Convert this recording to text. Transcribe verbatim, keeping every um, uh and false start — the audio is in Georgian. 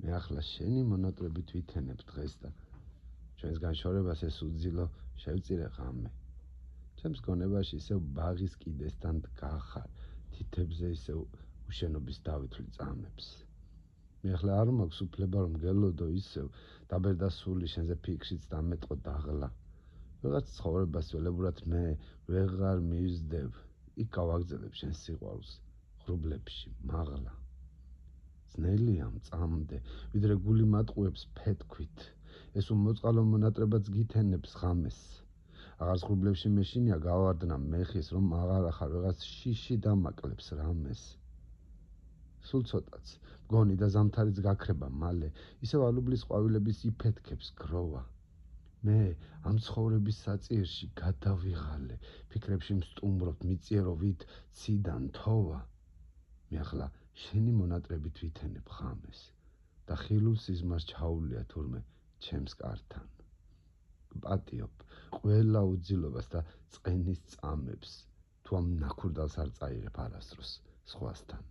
მე ახლა შენი მონატრებით ვითენებ დღეს და ჩვენს განშორებას ეს უძილო შევწირე ღამე. ჩემს გონებაში ისევ ბაღის კიდესთან დგახარ, თითებზე ისევ უშენობის დავითვლი წამებს. მე ახლა არ მაქვს უფლება რომ გელოდო ისევ დაბერდასული შენზე ფიქრშიც დამეტყო დაღლა. ვიღაც ცხოვრებას ველებურად მე ვეღარ მივსდევ, იქ გავაგზელებ შენს სიყვარულს, ღრუბლებში, მაღლა. ძნელია მწამდე, ვიდრე გული მატყუებს ფეთქვით, ეს უმოწყალო მონატრებაც გითენებს ღამეს. აღარ ღრუბლებში მეშინია გავარდნა მეხის, რომ აღარ ახარ ვიღაც შიში დამაკლებს რამეს. სულ ცოტაც, მგონი და ზამთარიც გაქრება მალე, ისევ ალუბლის ყვავილების იფეთქებს გროვა. მე ამ ცხოვრების საწიერში გადავიღალე, ფიქრებში მსტუმრობ, მიწიეროვით ციდან თოვა. მე ახლა შენი მონატრებით ვითენებ ღამეს და ხილულ სიზმარს ჩაუვლია თურმე ჩემს კართან. გპატიობ ყველა უძილობას და წყენის წამებს, თუ ამ ნაქურდალს არ წაიღებ არასდროს სხვასთან.